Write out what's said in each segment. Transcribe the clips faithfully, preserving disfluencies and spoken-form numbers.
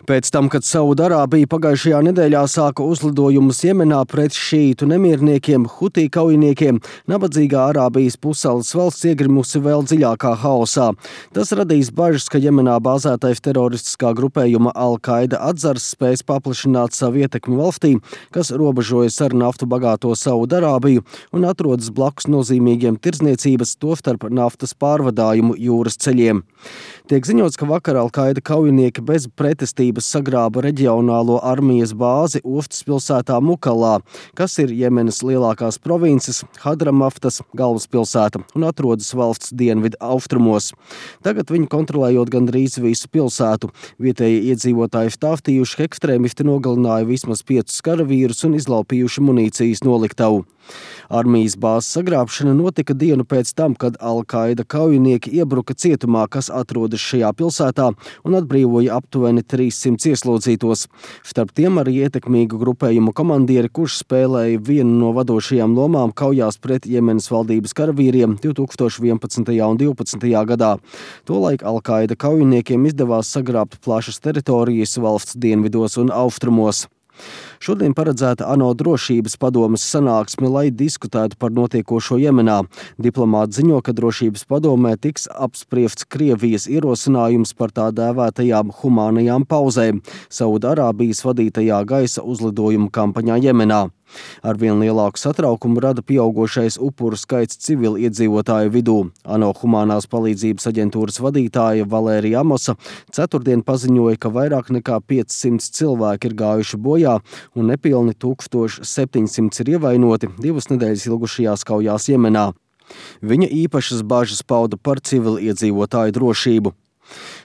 Pēc tam, kad Saudarābija pagājušajā nedēļā sāka uzlidojumus Jemenā pret šītu nemierniekiem, Hutī kaujiniekiem, nabadzīgā Arābijas pussalas valsts iegrimusi vēl dziļākā haosā. Tas radīs bažas, ka Jemenā bāzētais teroristiskā grupējuma Al-Qaida atzars spēs paplašināt savu ietekmi valstī, kas robežojas ar naftu bagāto Saudarābiju un atrodas blakus nozīmīgiem tirdzniecības, tostarp naftas pārvadājumu jūras ceļiem. Tiek ziņots, ka vakar Al-Qaida kaujinieki bez pretestības sagrāba reģionālo armijas bāzi ostas pilsētā Mukalā, kas ir Jemenas lielākās provinces, Hadramaftas galvaspilsēta un atrodas valsts dienvidu austrumos. Tagad viņi kontrolējot gandrīz visu pilsētu. Vietēji iedzīvotāji stāstījuši, ka ekstrēmisti nogalināja vismaz piecus karavīrus un izlaupījuši munīcijas noliktavu. Armijas bāzes sagrābšana notika dienu pēc tam, kad Al-Qaida kaujinieki iebruka cietumā, kas atrodas šajā pilsētā, un atbrīvoja aptuveni trīssimt ieslodzītos. Starp tiem arī ietekmīgu grupējumu komandieri, kurš spēlēja vienu no vadošajām lomām kaujās pret Jemenas valdības karavīriem divi tūkstoši vienpadsmitajā un divpadsmitajā gadā. Tolaik Al-Qaida kaujiniekiem izdevās sagrābt plašas teritorijas valsts dienvidos un austrumos. Šodien paredzēta ANO drošības padomes sanāksme, lai diskutētu par notiekošo Jemenā. Diplomāti ziņo, ka drošības padomē tiks apspriests Krievijas ierosinājums par tā dēvētajām humānajām pauzēm Saudarābijas vadītajā gaisa uzlidojumu kampaņā Jemenā. Arvien lielāku satraukumu rada pieaugošais upuru skaits civiliedzīvotāju vidū. ANO humanās palīdzības aģentūras vadītāja Valērija Amosa ceturtdien paziņoja, ka vairāk nekā piecsimt cilvēki ir gājuši bojā un nepilni tūkstoš septiņsimt ir ievainoti divas nedēļas ilgušajās kaujās Jemenā. Viņa īpašas bažas pauda par civiliedzīvotāju drošību.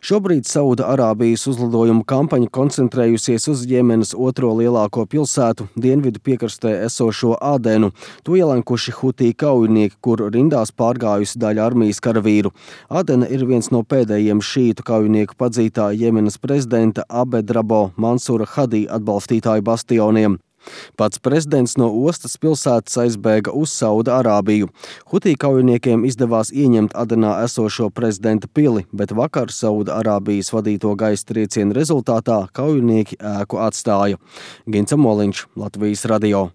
Šobrīd Saudarābijas uzlidojumu kampaņa koncentrējusies uz Jemenas otro lielāko pilsētu, dienvidu piekrastē esošo Adenu. To ielenkuši Hutī kaujinieki, kuru rindās pārgājusi daļa armijas karavīru. Adena ir viens no pēdējiem šītu kaujinieku padzītā Jemenas prezidenta Abedrabo Mansura Hadī atbalstītāju bastioniem. Pats prezidents no ostas pilsētas aizbēga uz Saudarābiju. Hutī kaujiniekiem izdevās ieņemt Adenā esošo prezidenta pili, bet vakar Saudarābijas vadīto gaisa triecienu rezultātā kaujinieki ēku atstāja. Gints Amoliņš, Latvijas radio.